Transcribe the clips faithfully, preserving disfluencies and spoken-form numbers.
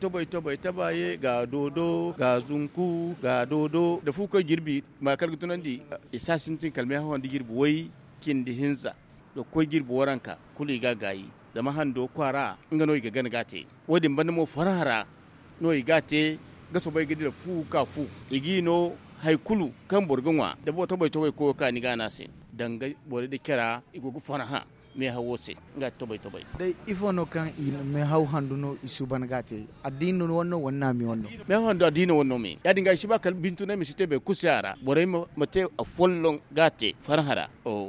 Tobay tobay tabaye ga doodo ga zunku ga doodo da fu koy jirbi ma kala ga tunandi. I si a sintin kala meehaw hando jirbi way cindi hinza ga koy jirbi waranka kulu i ga a gaayi. Zama hando kwaara nga no i ga gana ga a te. Wo- din banda mo farhã ra no i ga a te. Ga soobay ga dira fu ka fu i g'i no hari kulu kaŋ boro ga ŋwa da boro tobay tobay koyo ka ni ga a ne a se. Danga borey nda care i go ga farhã meehawo se. Nga ti tobay tobay. Day ifo no kaŋ i na meehaw handu no i suuban ga a te? Addiini wane no wala naami wane no? Meehaw handu addiini wane no me ya- din ga i si ba kala bintunay ma si te boro kulu se a ra borey ma te afolloŋ ga a te farhã ra.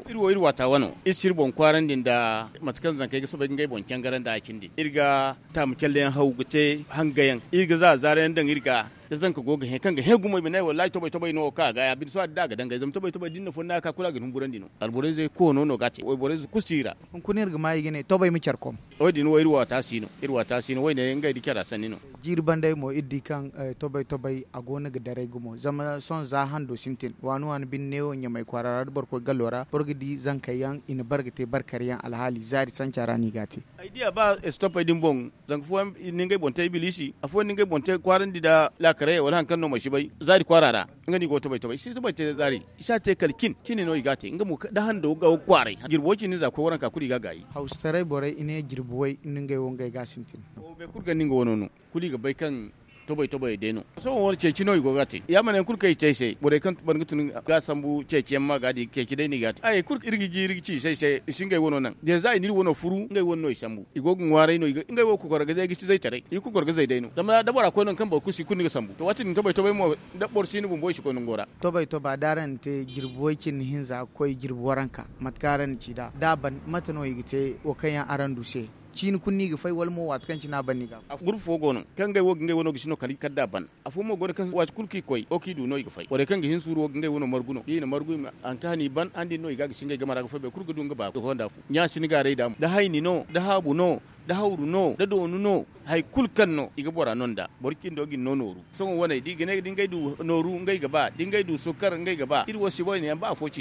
Iri wo iri waata wano iri si iri boŋ kwaarandi nda mate kaŋ zankey ga soobay ga ngey boŋ cangarandi a cindi iri ga taamu calleyaŋ haw ga te hangayaŋ iri ga za zaarayaŋ daŋ iri ga. Da zanka go ga hẽ kaŋ ga hẽ gumo i ma ne wallaahi tobay tobay no wo kaŋ a ga ya bine sohõ a di da a ga dangay zama tobay tobay da ni na fonda ka kulu a ga ni humburandi no. Alborayzey koono no ga a te wayborayze kulu si i ra. Hunkuna iri ga ma i ga ne tobay ma care kom. Wo- din wo iri waata si no iri waata si no wayne ngey da cara sanni no. Jiiri bandey mo iri di kaŋ tobay tobay a go no ga daray gumo zama sohõ za hando sintin waani waani bine neewo ɲamay kwaara ra da boro koy gallo ra boro ga di zankey yaŋ i na bare ga te bare kare yaŋ alhaali zaari sanca ra no i ga a te. Ay diya ba estopey din boŋ. Zanka fooyaŋ ni ngey boŋ te ibilisi afooyaŋ ni ngey boŋ te kwaarandi nda laakarayey wala hari kaŋ no mansi bay zaari kwaara ra. Nga no i go ga tobay tobay i si tobay te zaari i si a te kala cin cine no i ga a te nga mo da hando ga kwaaray jirbi way cindi ni za ga koy waranka kulu i ga a gaayi. Hawsataray borey i ne jirbi way ni ngey wo ngey ga a sintin. Boro kulu gonda nga wano no kulu i ga bay kaŋ tobay tobayey day no. Sohõ wane ceeci no i go ga a te ya ma ne hari kulu kaŋ i te ay se borey kaŋ ban ga tun ga a sambu ceeci yaŋ ma ga a di ceeci day no i ga a te. Hari kulu iri ga ji iri ga ci i se ay se i si ngey wano naŋ da za i na iri wano furu ngey wane no i sambu i go ga ŋwaaray no ngey wo ga kokoro ga day ga ci zaytaray i ga kokoro ga zay day no zama da bora koy nangu kaŋ boro kulu si kulu ni ga sambu to waati din tobay tobay mo da boro si ni bumbo i si koy nango ra. Tobay toba da araŋ na te jirbi way cindi hinza ga koy jirbi waranka mate kaŋ araŋ na ci nd'a da a ban mate no i ga te wo kaŋ yaŋ araŋ du se? Ciini kulu no i ga fay wala mo waati kaŋ cine a ban no i ga a fay? Gurbu fo go no kaŋ ngey wo ga ngey wano gisi no kala da a ban. Afo mo go no kaŋ waati kulu kaŋ i koy wo kaŋ i du no i ga fay borey kaŋ ga hin suuru wo ga ngey wano margu no da i na margu i ma haŋ kaŋ hane i ban hane din no i ga a gisi ngey game ra ga fay boro kulu ga du nga ba ga konda fu ɲa si ni gaaray da mo da hayni no da haabu no da hawru no da doonu no hari kulu kaŋ no i ga bora no nd'a boro cindo ga ni no nooru. Sohõ waney da i ga ne da ngey du nooru ngey ga ba da ngey du sukkar ngey ga ba iri wo si boyne yaŋ ba afo ci.